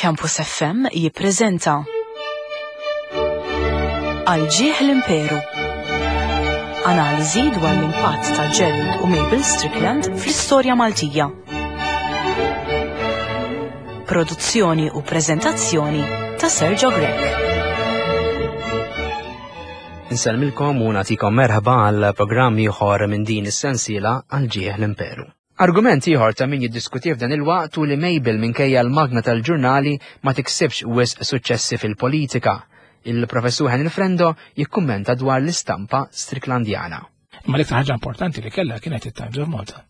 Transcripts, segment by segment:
Campus FM jippreżenta Għal ġieħ l-Imperu. Analiżi dwar l-impatt ta' Gerald u Mabel Strickland fl-istorja Maltija. Produzzjoni u preżentazzjoni ta' Sergio Grech. Insellmilkom u nagħtikom merħba għal programm ieħor minn din is-sensiela għal ġieħ l-Imperu. Argument ieħor ta' min jiddiskuti f'dan il-waqt hu li Mabel minkejja l-magna tal-ġurnali ma tiksibx wisq suċċessi fil-politika. Il-Professur Henry Frendo jikkummenta dwar l-istampa Stricklandjana. Imma l-iktar ħaġa importanti li kellha kienet it-Times of Malta.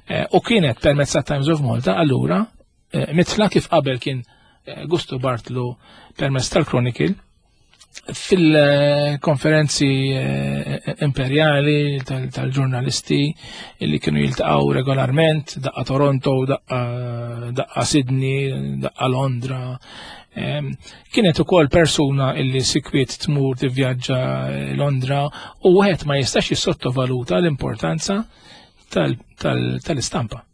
Eh, u kienet permezz ta' Times of Malta allura eh, mitla kif qabel kien eh, Gusto Bartlu permezz tal-Chronicle fil-konferenzi eh, imperjali tal-ġurnalisti li kienu jiltaqgħu regolarment, daqqa Toronto, daqqa Sydney, daqqa Londra. Kienet ukoll persuna illi sikwiet tmur tivvjaġġa Londra u wieħed ma jistax jissottovaluta l-importanza tal-istampa.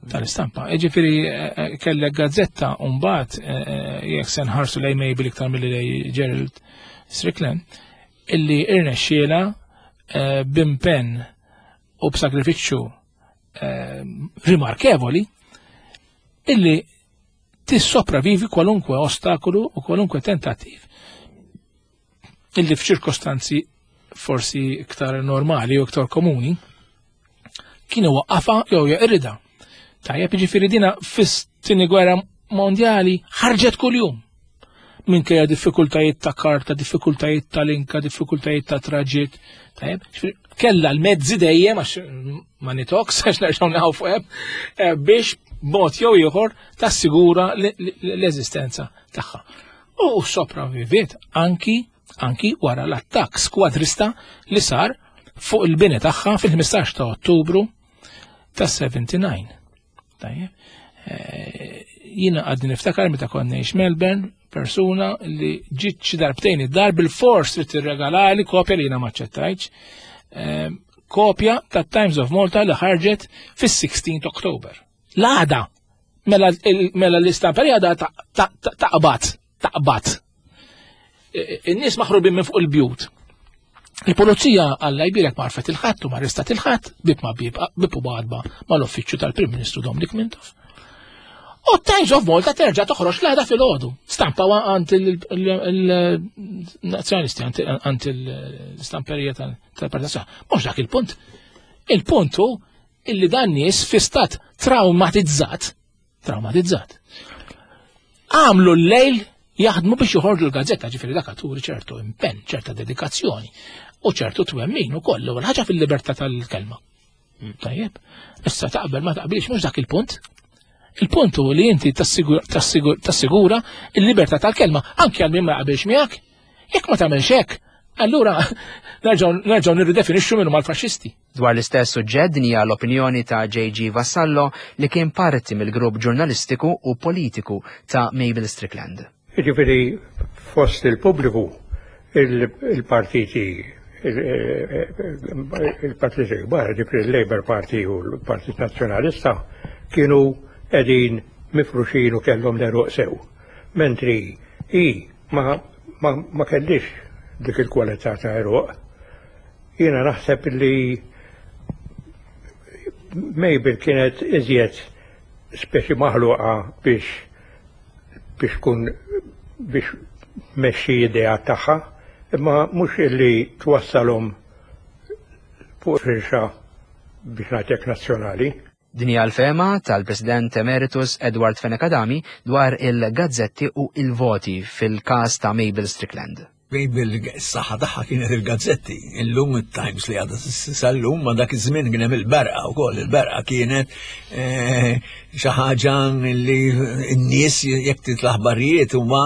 tal-istampa. Ġifieri eh, eh, kellek gazzetta mbagħad eh, jekk se nħarsu lej Mabel iktar milli lej Gerald Strickland, illi irnexxiela b'impenn u b'sakrifiċċju rimarkevoli illi tissopravivi kwalunkwe ostakolu u kwalunkwe tentattiv illi f'ċirkostanzi forsi iktar normali u iktar komuni kienu waqqafa jew jeqrida. Tajjeb jiġifieri dina fis-tieni gwerra mondjali ħarġet kuljum. Minkejja diffikultajiet ta' karta, diffikultajiet ta' linka, diffikultajiet ta' traġit. Tajjeb, kella l-mezzi dejjem għax ma nitoks għax nerġgħu naħu fuq hemm eh, biex b'mod jew ieħor tassigura l-eżistenza tagħha. U sopravviviet anki anki wara l-attakk skwadrista li sar fuq il-bini tagħha fil-15 ta' Ottubru ta' 79. Tajjeb. Eh, jiena għadni niftakar meta konna ngħix Melbourne, persuna li ġiet xi darbtejn id-dar bil-fors li tirregalali kopja li jiena ma ċettajtx, eh, kopja ta' Times of Malta li ħarġet fis-16 October. L-għada, mela, mela l-istampa li għada taqbad, taqbad. In-nies maħrubin minn fuq il-bjut. Il-pulizija għalla jbirek marfet il-ħadd u marrestat il-ħadd bib ma bib bib u badba mal-uffiċċju tal-Prim Ministru Dominic Mintoff. U Times of Malta terġa' toħroġ l-għada fil-ħodu. Stampa għand il-nazzjonalisti, għand il-stamperija tal-Partit Nazzjonali. Mhux dak il-punt. Il-punt hu illi dan nies fi stat traumatizzat, traumatizzat. Għamlu l-lejl jaħdmu biex joħorġu l-gazzetta, ġifieri dak turi ċertu impenn, ċerta dedikazzjoni u ċertu twemmin ukoll l-ewwel ħaġa fil-libertà tal-kelma. Mm. Tajjeb, issa taqbel ma taqbilx mhux dak il-punt. Il-punt hu li inti tassigura il-libertà tal-kelma anke għal min ma jaqbilx miegħek. Jekk ma tagħmelx hekk, allura nerġgħu nirridefinixxu minnu mal-faxxisti. Dwar l-istess suġġett din hija l-opinjoni ta' JG Vassallo li kien parti mill-grupp ġurnalistiku u politiku ta' Mabel Strickland. Jiġifieri fost il-pubbliku il-partiti il-partiti kbar, ġifieri il-Labour Party u l-Partit Nazzjonalista kienu qegħdin mifruxin u kellhom l-għeruq sew. Mentri hi ma, ma, ma kellix dik il-kwalità ta' għeruq. Jiena naħseb li Mabel kienet iżjed speċi maħluqa biex biex tkun biex tmexxi idea tagħha, imma mhux illi twassalhom fuq firxa biex ngħidlek nazzjonali. Din hija l-fehma tal-President Emeritus Edward Fenech Adami dwar il-gazzetti u il-voti fil-każ ta' Mabel Strickland. Mabel s-saħħa tagħha kienet il-gazzetti, illum it-Times li għadha sal-lum ma dak iż-żmien kien hemm il-berqa wkoll, il-berqa kienet eh, xi ħaġa li n-nies jekk titla' aħbarijiet huma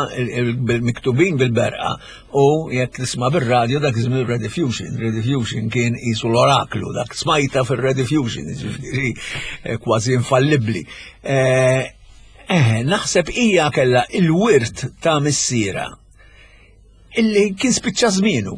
miktubin bil-berqa u jekk tisma' bir-radju dak iż-żmien Rediffusion, Rediffusion kien qisu l-oraklu, dak smajta fir-Rediffusion, ġifieri eh, kważi infallibbli. Eh, eh, naħseb hija kellha il-wirt ta' missiera illi kien spiċċa żmienu.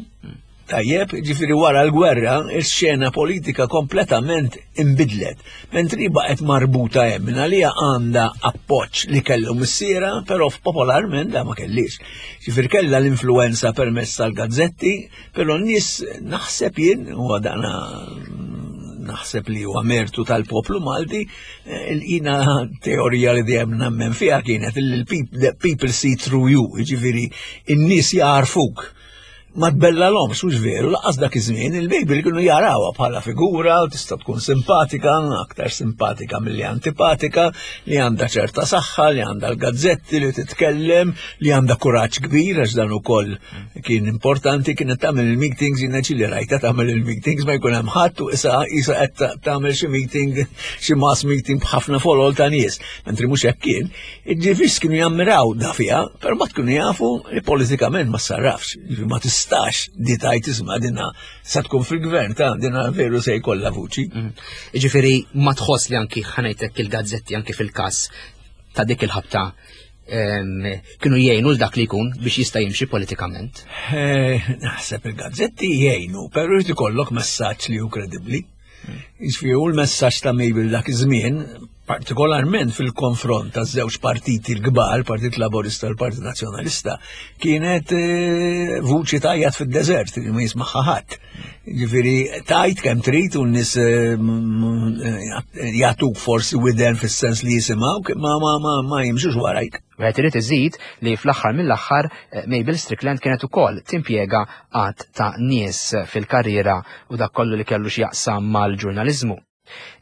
Tajjeb, ġifieri wara l-gwerra, ix-xena politika kompletament imbidlet. Mentri baqgħet marbuta hemm minn għalija għandha appoġġ li kellu missiera, però popolarment da ma kellix. Ġifieri kellha l-influenza permezz tal-gazzetti, però n-nies naħseb jien u dana naħseb li huwa mertu tal-poplu Malti, eh, jina teorija li dejjem nemmen fiha kienet li l-people see through you, ġifieri n-nies jarfuk ma tbellalhomx mhux veru, laqas dak iż-żmien il-Mabel kienu jarawha bħala figura tista' tkun simpatika, aktar simpatika milli antipatika, li għandha ċerta saħħa, li għandha l-gazzetti li titkellem, li għandha kuraġġ kbir għax dan ukoll kien importanti kienet tagħmel il-meetings jiena ġieli rajta tagħmel il-meetings ma jkun hemm ħadd u issa isa qed tagħmel xi meeting xi mass meeting b'ħafna folol ta' nies, mentri mhux hekk kien. Ġifis kienu jammiraw da fiha, però ma tkunu jafu li politikament ma sarrafx, ma tistax di tajt isma dina sa tkun fil-gvern ta' dina veru se jkollha vuċi. Mm. Ġifieri ma tħoss li anki ħanejtek il-gazzetti anki fil-każ ta' dik il-ħabta kienu jgħinu l dak li jkun biex jista' jimxi politikament? Eh, naħseb il-gazzetti jgħinu, però jrid ikollok messaġġ li hu kredibbli. Jiġifieri u l-messaġġ ta' Mabel dak iż-żmien, partikolarment fil-konfront ta' żewġ partiti l-kbar, Partit Laborista u l-Partit Nazzjonalista, kienet eh, vuċi tajjat fid-deżert li ma jismagħha ħadd. Jiġifieri tajt kemm trid u n-nies eh, eh, jagħtuk forsi widen fis-sens li jisimgħu ma ma ma ma jimxux warajk. Wieħed irid iżid li fl-aħħar mill-aħħar eh, Mabel Strickland kienet ukoll timpjega għadd ta' nies fil-karriera u dak kollu li kellu x'jaqsam mal-ġurnaliżmu.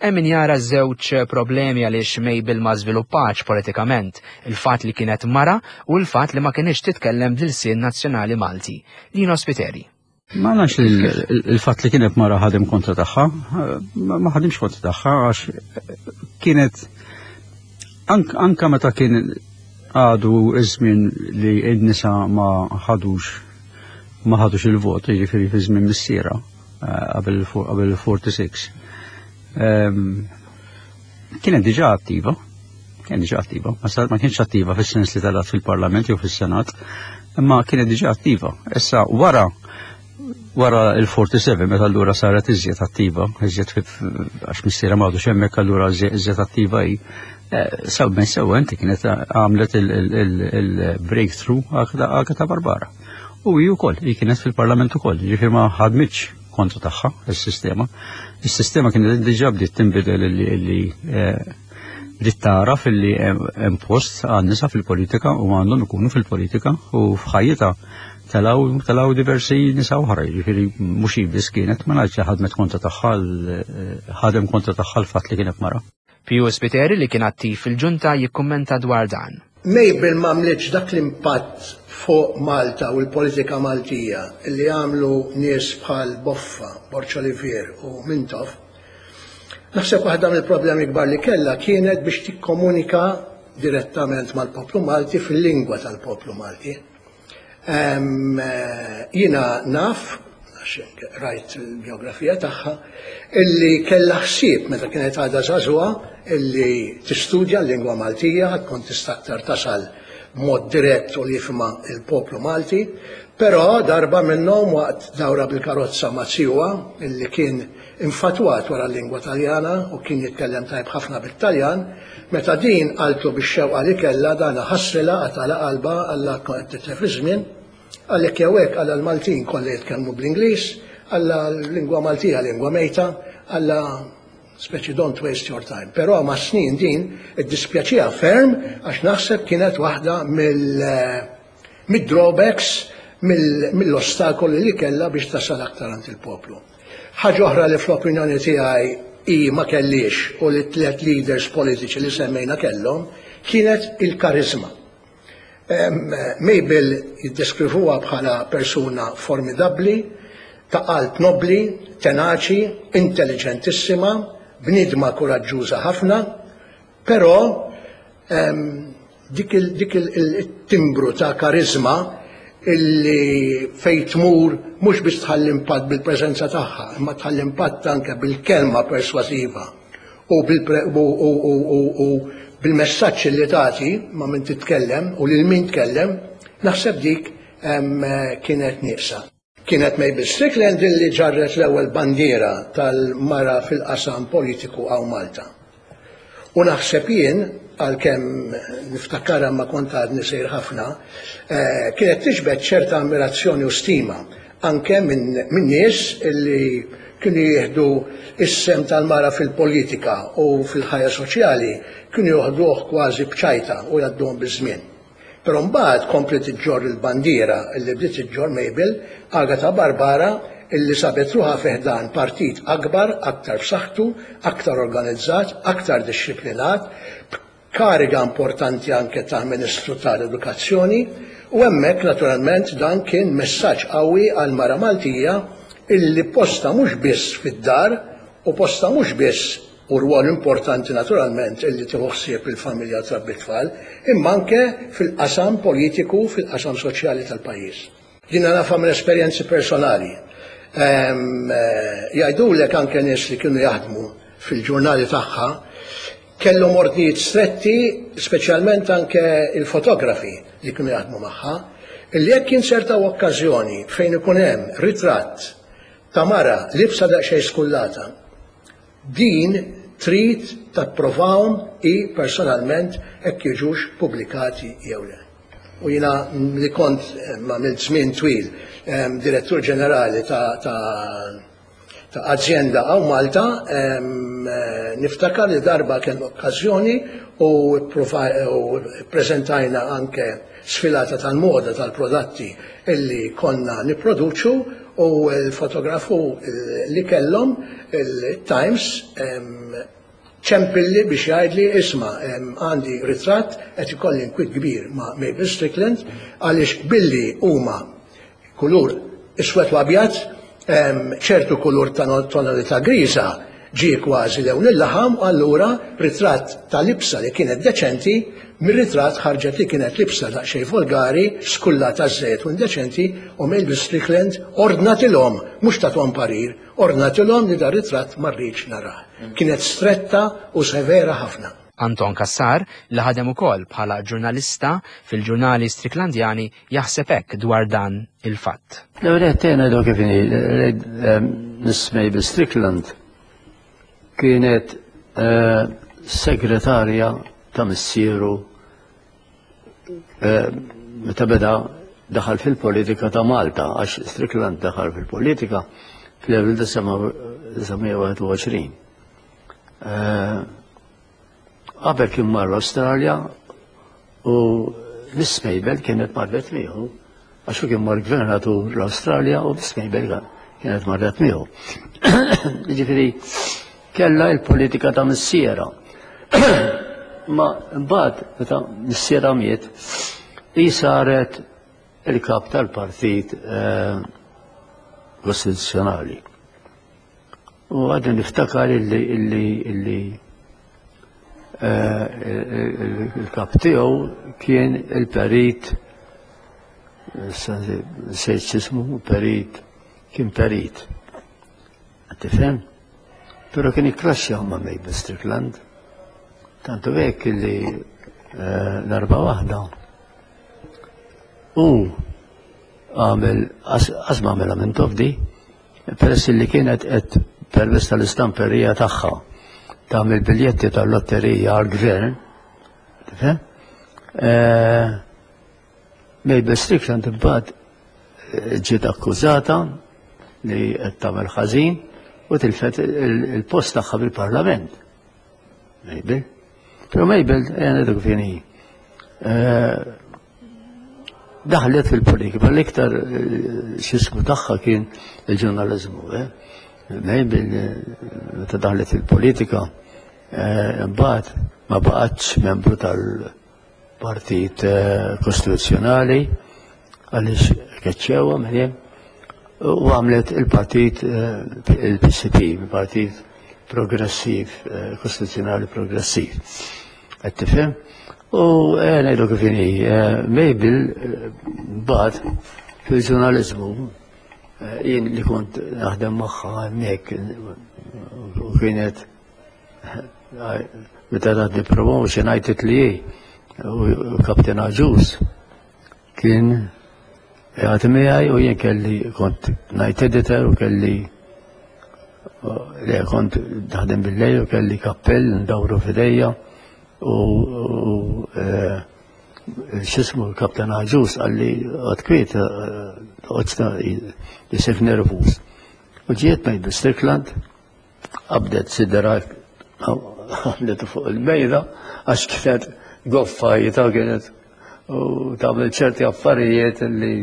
Hemm min jara żewġ problemi għaliex Mabel ma żviluppax politikament, il-fatt li kienet mara u l-fatt li ma kinitx titkellem bl-ilsien nazzjonali Malti. Lino Spiteri. Ma nafx il-fatt li kienet mara ħadem kontra tagħha, ma ħadimx kontra tagħha għax kienet anka meta kien għadu iż-żmien li n-nisa ma ħadux ma ħadux il-vot, jiġifieri fi żmien missiera eh, qabel il-46. Ehm, kienet diġà attiva, kienet diġà attiva, ma kienx attiva fis-sens li talat fil-Parlament jew fis-Senat, imma kienet diġà attiva. Issa wara wara il-47 meta allura saret iżjed attiva, iżjed għax missiera m'għadux hemmhekk allura iżjed attiva hi. Eh, sew minn sew inti kienet għamlet il-breakthrough Agata Barbara. U hi wkoll, hi kienet fil-Parlament ukoll, ġifier ma ħadmitx kontra tagħha is-sistema. Is-sistema kienet diġà bdiet tinbidel illi eh, bdiet tara illi hemm post għan-nisa fil-politika u għandhom ikunu fil-politika u f'ħajjitha telaw telaw diversi nisa oħra, jiġifieri mhux hi biss kienet, ma ngħidx li ħadmet kontra tagħha ħadem kontra tagħha l-fatt li kienet mara. Piju Spiteri li kien attiv fil-ġunta jikkummenta dwar dan. Mabel m'għamlitx dak l-impatt fuq Malta u l-politika Maltija li għamlu nies bħal Boffa, Borg Olivier u Mintoff. Naħseb waħda mill-problemi kbar li kellha kienet biex tikkomunika direttament mal-poplu Malti fil-lingwa tal-poplu Malti. Jiena naf, għax rajt il-biografija tagħha, illi kellha ħsieb meta kienet għadha żagħżugħa illi tistudja l-lingwa Maltija, tkun tista' aktar tasal b'mod dirett u li jifhimha l-poplu Malti, però darba minnhom waqt dawra bil-karozza ma' zijuha illi kien infatwat wara l-lingwa Taljana u kien jitkellem tajjeb ħafna bit-Taljan, meta din qaltlu bix-xewqa li kellha, dana ħassrilha, qatgħalha qalbha, qallha tkun qed titlef iż-żmien. Qal hekk jew hekk, qallha l-Maltin kollha jitkellmu bl-Ingliż, qallha l-lingwa Maltija lingwa mejta, qallha speċi don't waste your time. Però mas-snin din iddispjaċiha ferm għax naħseb kienet waħda mill mid-drawbacks, mill-ostakoli li kellha biex tasal aktar għand il-poplu. Ħaġa oħra li fl-opinjoni tiegħi hi ma kellhiex u li t-tliet leaders politiċi li semmejna kellhom kienet il-kariżma. Mabel jiddeskrivuha bħala persuna formidabbli, ta' qalb nobbli, tenaċi, intelliġentissima, bniedma kuraġġuża ħafna, però Dik il-timbru ta' kariżma illi fejn tmur mhux biss tħalli impatt bil-preżenza tagħha, imma tħalli impatt anke bil-kelma persważiva u bil-messaġġ li tagħti ma' min titkellem u lil min tkellem, naħseb dik kienet nieqsa. Kienet Mabel Strickland illi ġarret l-ewwel bandiera tal-mara fil-qasam politiku hawn Malta. U naħseb jien, għalkemm niftakarha ma kont għadni sejr ħafna, eh, kienet tiġbed ċerta ammirazzjoni u stima anke minn min nies illi kienu jieħdu is-sem tal-mara fil-politika u fil-ħajja soċjali kienu joħduh kważi b'ċajta u jgħadduhom biż-żmien. Però mbagħad kompliet iġġorr il-bandiera li bdiet iġġorr Mabel, Agatha Barbara, illi sabet ruħha fi ħdan partit akbar, aktar b'saħħtu, aktar organizzat, aktar dixxiplinat, b'kariga importanti anke ta' Ministru tal-Edukazzjoni, u hemmhekk naturalment dan kien messaġġ qawwi għall-mara Maltija illi postha mhux biss fid-dar u postha mhux biss u rwol importanti naturalment illi tieħu ħsieb il-familja u trabbi t-tfal, imma anke fil-qasam politiku, fil-qasam soċjali tal-pajjiż. Jiena nafha minn esperjenzi personali. Ehm, eh, jgħidulek anke nies li kienu jaħdmu fil-ġurnali tagħha kellhom ordnijiet stretti, speċjalment anke il-fotografi li kienu jaħdmu magħha, illi jekk jinsertaw okkażjoni fejn ikun hemm ritratt ta' mara libsa daqsxejn skullata, Din trid tapprovahom hi personalment hekk jiġux pubblikati jew le. U jiena li kont għamilt żmien twil direttur ġenerali ta' ta' azjenda hawn Malta, niftakar li darba kien okkażjoni u ppreżentajna anke sfilata tal-moda tal-prodatti illi konna nipproduċu u l-fotografu li kellhom il-Times ċempilli biex jgħidli isma' għandi ritratt qed ikolli nkwiet kbir ma' Mabel Strickland għaliex billi huma kulur iswed u abjad, ċertu kulur ta' tonalità griża ġie kważi lewn il-laħam u allura ritratt ta' libsa li kienet deċenti mir-ritratt ħarġet li kienet libsa daqsxejn volgari, skullata żejjed u indeċenti u Mabel Strickland ordnatilhom, mhux tathom parir, ordnatilhom li dar-ritratt ma rridx narah. Kienet stretta u severa ħafna. Anton Cassar, li ħadem ukoll bħala ġurnalista fil-ġurnali Stricklandjani, jaħseb hekk dwar dan il-fatt. L-ewwel qed ngħidu kif inhi eh, Miss Mabel Strickland kienet eh, segretarja ta' missieru eh, meta beda daħal fil-politika ta' Malta, għax Strickland daħal fil-politika fl-1921. Qabel kien mar l-Awstralja u Miss Mabel kienet marret miegħu għax hu kien mar gvernatur l-Awstralja u Miss Mabel kienet marret miegħu. Jiġifieri kellha l-politika ta' missiera. Ma mbagħad meta missiera miet, hi saret il-kap tal-partit eh, kostituzzjonali. U għadni niftakar illi illi illi eh, il-kap tiegħu kien il-perit sejt x'ismu perit kien perit. Tifhem? Però kien ikklaxxja ma' Mabel Strickland. Tantu hekk illi eh, darba waħda. U għamel, għazma għamela minn tofdi, Peress li kienet qed permezz tal-istamperija tagħha tagħmel biljetti tal-lotterija għall-gvern, tifhem? Eh, Mabel Strickland imbagħad eh, ġiet akkużata li qed tagħmel ħażin u tilfet il-post tagħha bil-Parlament. Mabel. Però Mabel, eh, ngħidu kif hi. Daħlet fil-politika, ma l-iktar eh, xismu tagħha kien il-ġurnaliżmu. Eh. Mabel, eh, meta daħlet fil-politika, mbagħad ma baqgħetx membru tal-Partit Kostituzzjonali għaliex keċċewha minn hemm u għamlet il-partit il-PCP, il-Partit Progressiv, Kostituzzjonali Progressiv. Qed tifhem? U eh, ngħidu kif inhi, eh, Mabel eh, bad fil-ġurnaliżmu jien li kont naħdem magħha hemmhekk u kienet meta tatni promotion għajtet li u Kapten Aġus kien. Għati miegħi u jien kelli kont night editor u kelli le kont naħdem bil-lejl u kelli kappell ndawru f'idejja u eh, xismu l-kaptan Aġus għalli għad kwiet għodsta jisif nervus. U ġiet Mabel Strickland, qabdet sidra għamlet fuq il-mejda għax kienet goffa jita kienet u tagħmel ċerti affarijiet li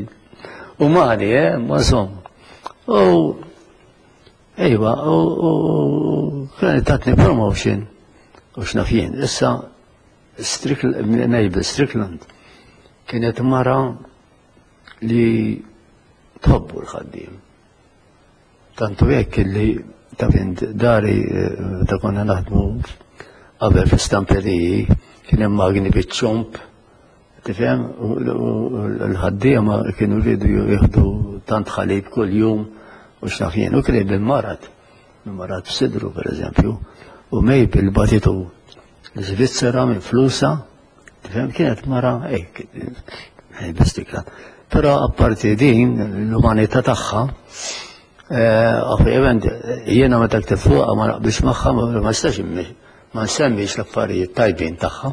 umani, eh, ma insomma. U ejwa, u kienet tatni promotion u x'naf jien. Issa Mabel Strickland kienet mara li tħobbu l-ħaddiem. Tantu hekk li taf int dari eh, ta' konna naħdmu qabel fi stamperiji kien hemm magni biċ-ċomp, tifhem, u l-ħaddiema kienu rridu jieħdu tant ħalib kuljum u x'naf jien, u kien hemm il-marad, il-marad f'sidru pereżempju, u Mabel batitu l-Iżvizzera minn flusa, tifhem, kienet mara hekk, bistikla. Però apparti din, l-umanità tagħha, eh, ovvjament jiena meta ktib fuqha ma naqbilx magħha ma nistax ma nsemmix l-affarijiet tajbin tagħha.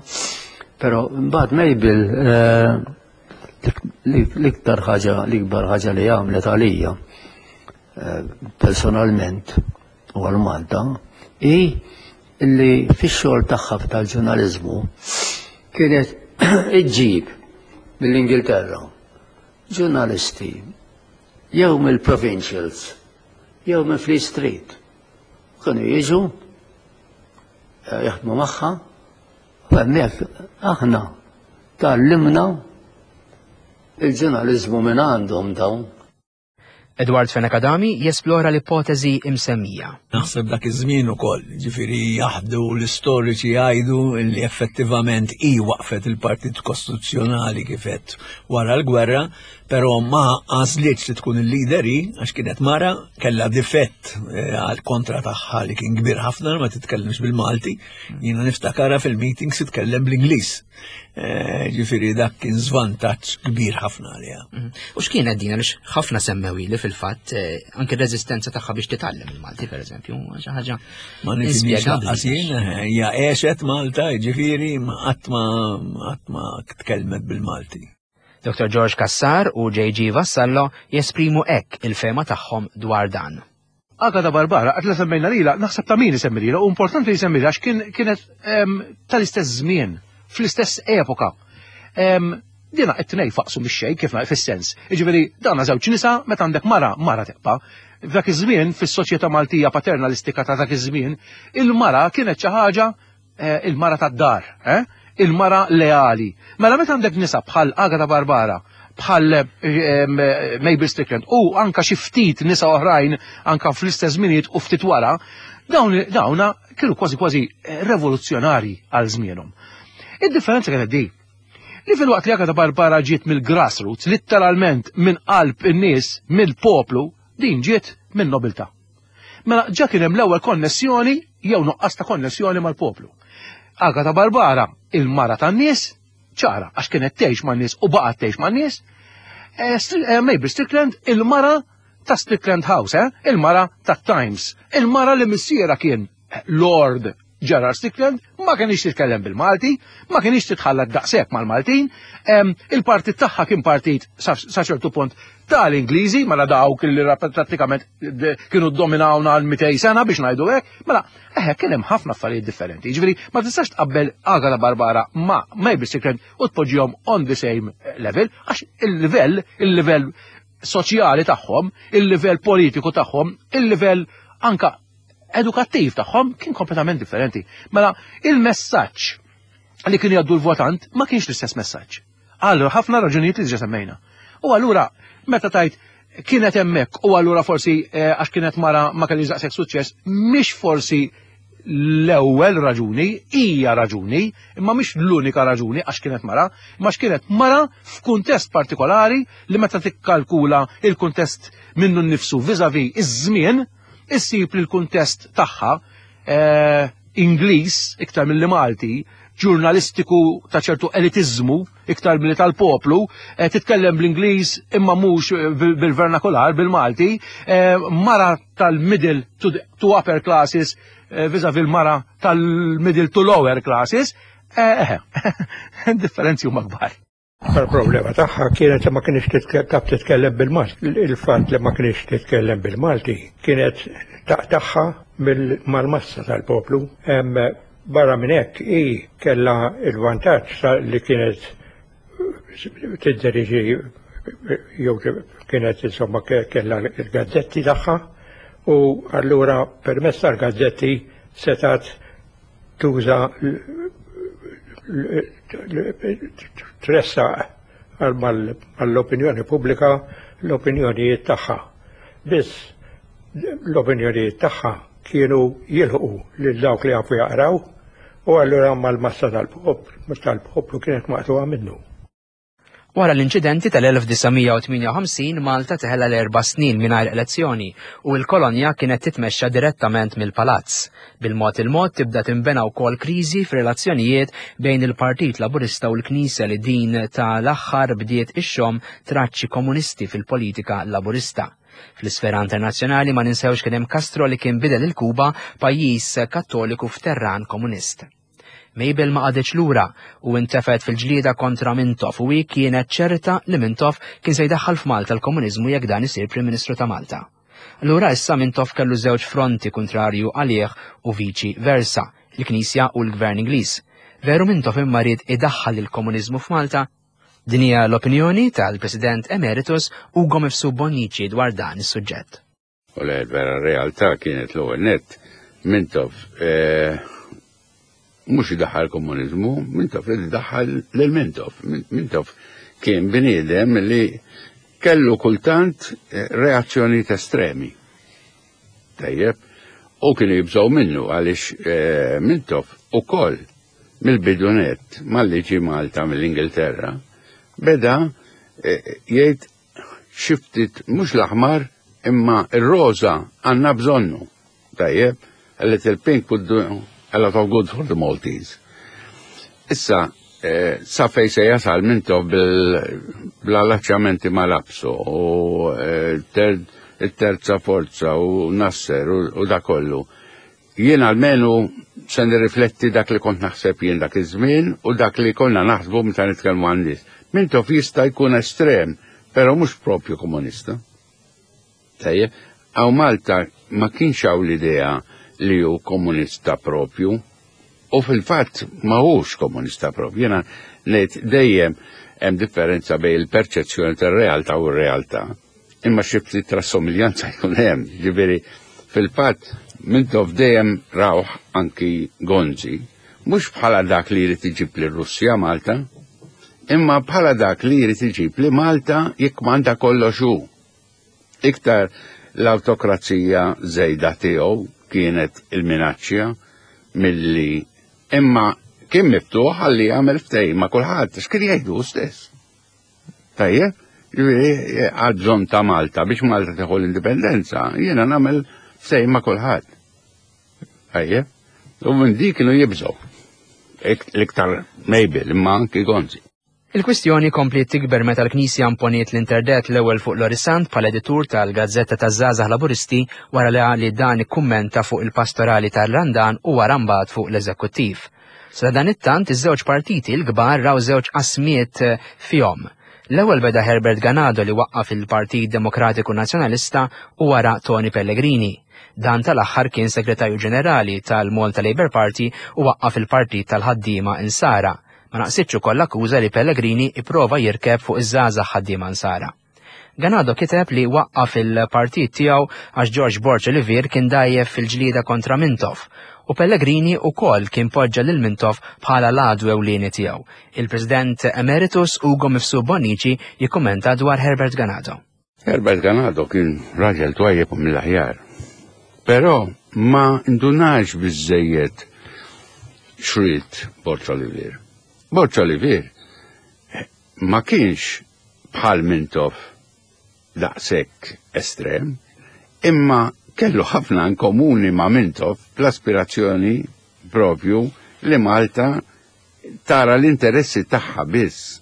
Però mbagħad Mabel eh, l-iktar ħaġa, l-ikbar ħaġa li għamlet għalija eh, personalment u għal Malta hi illi fix-xogħol tagħha tal-ġurnaliżmu kienet iġġib mill-Ingilterra ġurnalisti jew mill-provincials jew minn Fleet Street. Kienu jiġu eh, jaħdmu magħha u hemmhekk aħna tgħallimna il-ġurnaliżmu minn għandhom dawn. Edward Fenech Adami jesplora l-ipoteżi imsemmija. Naħseb dak iż-żmien ukoll, ġifieri jaħdu l-istoriċi jgħidu li effettivament hi waqfet il-Partit Kostituzzjonali kif għedt wara l-gwerra, però ma għażlitx li tkun il-leader hi għax kienet mara, kellha difett eh, għal kontra tagħha li kien kbir ħafna ma titkellimx bil-Malti. Jiena niftakarha fil-meetings titkellem bl-Ingliż. Eh, ġifieri dak kien żvantaġġ kbir ħafna għaliha. Mhm. U x'kienet din għaliex ħafna semmew li fil-fatt eh, anke r-reżistenza tagħha biex titgħallem il-Malti pereżempju, xi ħaġa. Ma nifhimx lanqas jien, eh, hija għexet Malta, ġifieri qatt ma qatt ma tkellmet bil-Malti. Dr. George Cassar u JG Vassallo jesprimu hekk il-fehma tagħhom dwar dan. Agata Barbara, għad la semmejna lila, naħseb ta' min isemmi lila, u importanti li jsemmi għax kien kienet tal-istess żmien, fl-istess epoka. Dina it-tnej faqsu mix-xejn kif fis-sens. Jiġifieri dana żewġ nisa meta għandek mara, mara tibqa'. F'dak iż-żmien, fis-soċjetà Maltija paternalistika ta' dak iż-żmien, il-mara kienet xi ħaġa eh, il-mara tad-dar, eh? il-mara leali. Mela meta għandek nisa bħal Agata Barbara, bħal eh, Mabel Strickland u anka xi ftit nisa oħrajn anka fl-istess żminijiet u ftit wara, dawn dawna kienu kważi kważi eh, revoluzzjonari għal żmienhom. Id-differenza kienet di. Li fil-waqt li Agata Barbara ġiet mill-grassroots, litteralment minn qalb in-nies, mill-poplu, din ġiet minn nobiltà. Mela ġa kien hemm l-ewwel konnessjoni jew nuqqas ta' konnessjoni mal-poplu. Agata Barbara, il-mara tan-nies, ċara għax kienet tgħix man-nies u baqgħet tgħix man-nies. Eh, eh, Mabel Strickland, il-mara ta' Strickland House, eh? il-mara ta' Times, il-mara li missiera kien Lord Gerard Strickland, ma kienx titkellem bil-Malti, ma kienx titħallat daqshekk mal-Maltin, il-partit tagħha kien partit sa ċertu punt tal-Ingliżi, mela dawk li prattikament kienu dominawna għal 200 sena biex ngħidu hekk, mela eħe kien hemm ħafna affarijiet differenti. Jiġifieri ma tistax tqabbel Agata Barbara ma' Mabel Strickland u tpoġġihom on the same level għax il-livell, il-livell soċjali tagħhom, il-livell politiku tagħhom, il-livell anka edukattiv tagħhom kien kompletament differenti. Mela, il-messaġġ li kien jgħaddu l-votant ma kienx l-istess messaġġ. Għal ħafna raġunijiet li ġa semmejna. U allura, meta tajt kienet hemmhekk u allura forsi eh, għax kienet mara ma kellix daqshekk suċċess, mhix forsi l-ewwel raġuni, hija raġuni, imma mhix l-unika raġuni għax kienet mara, imma kienet mara f'kuntest partikolari li meta tikkalkula il-kuntest minnu nnifsu viżavi iż-żmien, issib li l-kuntest tagħha eh, Ingliż iktar milli Malti, ġurnalistiku ta' ċertu elitiżmu iktar milli tal-poplu, eh, titkellem bl-Ingliż imma mhux eh, bil-vernakular, bil-Malti, eh, mara tal-middle to, to upper classes vis-a-vis mara tal-middle to lower classes, differenzi huma kbar. Il-problema tagħha kienet li ma kienx taf titkellem bil-Malti. Il-fatt li ma kienx titkellem bil-Malti kienet taqtagħha mal-massa tal-poplu. Barra minn hekk hi kellha il-vantaġġ li kienet tiddiriġi jew kienet insomma kellha l-gazzetti tagħha u allura permezz tal-gazzetti setat tuża tressaq mal-opinjoni pubblika l-opinjonijiet tagħha. Biss l-opinjonijiet tagħha kienu jilħqu lil dawk li jafu jaqraw u allura mal-massa tal-poplu kienet maqtuha minnu. Wara l-inċidenti tal-1958 Malta teħela l-erba' snin mingħajr elezzjoni u l-kolonja kienet titmexxa direttament mill-Palazz. Bil-mod il-mod tibda tinbena wkoll kriżi fir-relazzjonijiet bejn il-Partit Laburista u l-Knisja li din ta' l-aħħar bdiet ixxomm traċċi komunisti fil-politika Laburista. Fl-isfera internazzjonali ma ninsewx kien hemm Castro li kien bidel il-Kuba pajjiż Kattoliku f'terran komunist. Mabel ma qagħditx lura u intefgħet fil-ġlieda kontra Mintoff u hi kienet ċerta li Mintoff kien se jdaħħal f'Malta l-komuniżmu jekk dan isir Prim Ministru ta' Malta. Allura issa Mintoff kellu żewġ fronti kuntrarju għalih u viċi versa, il-Knisja u l-Gvern Ingliż. Veru Mintoff imma ried idaħħal il-komuniżmu f'Malta? Din hija l-opinjoni tal-President Emeritus Ugo Mifsud Bonnici dwar dan is-suġġett. U le, vera realtà kienet l-ewwel nett Mintoff eh, mhux idaħħal komuniżmu, Mintoff li daħħal lil Mintoff. Mintoff kien bniedem li kellu kultant eh, reazzjonijiet estremi. Tajjeb, u kienu jibżgħu minnu għaliex eh, Mintoff ukoll mill-bidu nett malli ġie Malta mill-Ingilterra beda jgħid xi ftit mhux l-aħmar imma r-roża għandna bżonnu. Tajjeb, a little pink would do a lot of good for the Maltese. Issa, eh, sa fej se jasal mintof bl-allaċċjamenti ma' Lapso u eh, terza forza u Nasser u da kollu. Jien almenu se nirrifletti dak li kont naħseb jien dak iż-żmien u dak li konna naħsbu meta nitkellmu għan-nies. Mintoff jista' jkun estrem, però mhux propju komunista. Tajjeb, hawn Malta ma kienx hawn l-idea li hu komunista propju u fil-fatt ma hux komunista propju. Jiena ngħid dejjem hemm differenza bejn il-perċezzjoni tar-realtà u r-realtà. Imma xi ftit trassomiglianza jkun hemm, ġifieri fil-fatt Mintoff dejjem rawh anki Gonzi, mhux bħala dak li jrid iġib lir Russja Malta, imma bħala dak li jrid iġib li Malta jikkmanda kollox hu. Iktar l-awtokrazija żejda tiegħu kienet il-minaċċja milli imma kien miftuħ għalli jagħmel ftehim ma' kulħadd, x'kien jgħidu stess. Tajjeb, ġifieri għal bżonn ta' Malta biex Malta tieħu l-indipendenza, jiena nagħmel ftehim ma' kulħadd. Tajjeb, u minn dik kienu jibżgħu. L-iktar Mabel imma anki Gonzi. Il-kwistjoni kompliet tikber meta l-Knisja imponiet l-interdett l-ewwel fuq Lorry Sant bħala editur tal-Gazzetta taż-Żgħażagħ Laburisti wara li dan ikkummenta fuq il-pastorali tar-Randan u wara mbagħad fuq l-Eżekuttiv. Sadanittant iż-żewġ partiti l-kbar raw żewġ qasmiet eh, fihom. L-ewwel beda Herbert Ganado li waqqaf il-Partit Demokratiku Nazzjonalista u wara Tony Pellegrini. Dan tal-aħħar kien Segretarju Ġenerali tal-Malta Labour Party u waqqaf il-Partit tal-Ħaddiema Insara. Ma naqsitx ukoll l-akkuża li Pellegrini ipprova jirkeb fuq iż-żgħażagħ ħaddiema Nsara. Ganado kiteb li waqqaf il-partit tiegħu għax George Borg Olivier kien dgħajjef fil-ġlieda kontra Mintoff u Pellegrini wkoll kien poġġa lil Mintoff bħala l-għadu ewlieni tiegħu. Il-President Emeritus Ugo Mifsud Bonnici jikkummenta dwar Herbert Ganado. Herbert Ganado kien raġel twajjeb u mill-aħjar. Però ma ndunax biżżejjed x'ried Borg Olivier. Borg Olivier ma kienx bħal Mintoff daqshekk estrem, imma kellu ħafna in komuni ma' Mintoff fl-aspirazzjoni propju li Malta tara l-interessi tagħha biss.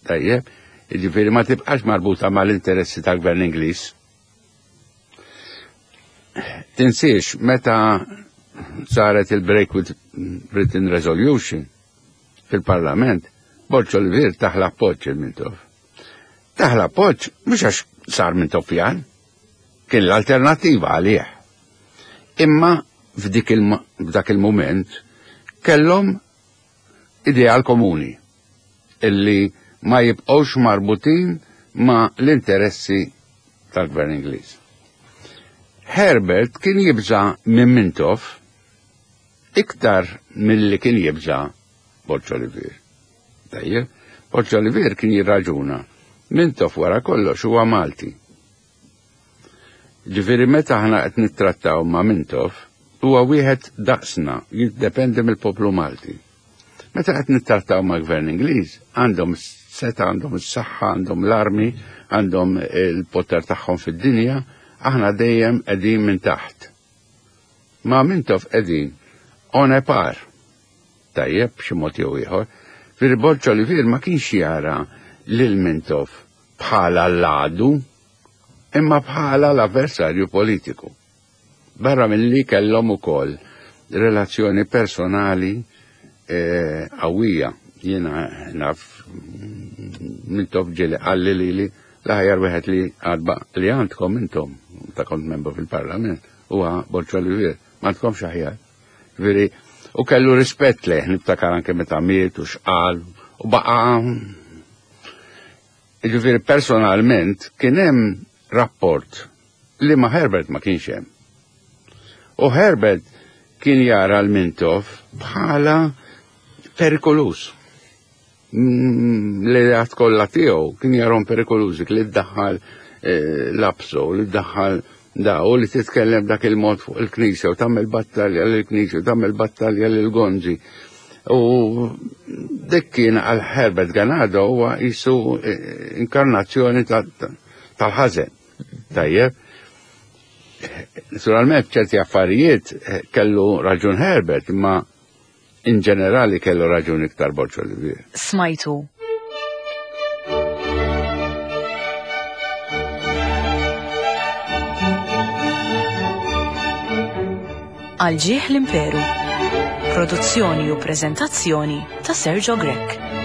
Tajjeb, jiġifieri ma tibqax marbuta mal-interessi tal-Gvern Ingliż. Tinsiex meta saret il-Break with Britain Resolution fil-Parlament, Borg Olivier taħ l-appoġġ il-Mintoff. Taħ l-appoġġ mhux għax sar Mintoffjan, kien l-alternattiva għalih. Imma f'dak il-moment kellhom ideal komuni illi ma jibqgħux marbutin ma l-interessi tal-gvern Ingliż. Herbert kien jibża minn Mintoff iktar milli kien jibża Borg Olivier. Tajjeb, Borg Olivier kien jirraġuna Mintoff wara kollox huwa Malti. Ġifieri meta aħna qed nittrattaw ma' Mintoff, huwa wieħed daqsna, jiddependi mill-poplu Malti. Meta qed nittrattaw ma' gvern Ingliż, għandhom seta, għandhom is-saħħa, għandhom l-armi, għandhom il-poter tagħhom fid-dinja, aħna dejjem qegħdin minn taħt. Ma' Mintoff qegħdin on a par. Tajjeb, b'xi mod jew ieħor. Firri Borg Olivier ma kienx jara lil Mintoff bħala l-għadu, imma bħala l-avversarju politiku. Barra milli kellhom ukoll relazzjoni personali eh, qawwija. Jiena naf Mintoff ġieli qalli lili l-aħjar wieħed li għadba li għandkom intom ta' kont membru fil-Parlament huwa Borg Olivier. Ma għandkomx aħjar. Veri, u kellu rispett lejh, niftakar anke meta miet u xqal u baqa' Jiġifieri personalment kien hemm rapport li ma' Herbert ma kienx hemm. U Herbert kien jara l-Mintoff bħala perikolus. Mm, li għat kollha tiegħu kien jarhom perikolużi li ddaħħal eh, lapso, li ddaħħal da u li titkellem dak il-mod fuq il-knisja u tagħmel battalja lill-knisja u tagħmel battalja lil Gonzi. U dik kien għal Herbert Ganado huwa jisu eh, inkarnazzjoni tal-ħażen. Tajjeb. Naturalment ċerti affarijiet eh, kellu raġun Herbert, imma In ġenerali kellu raġun iktar Borg Olivier. Smajtu. Għal ġieħ l-Imperu. Produzzjoni u preżentazzjoni ta' Sergio Grech.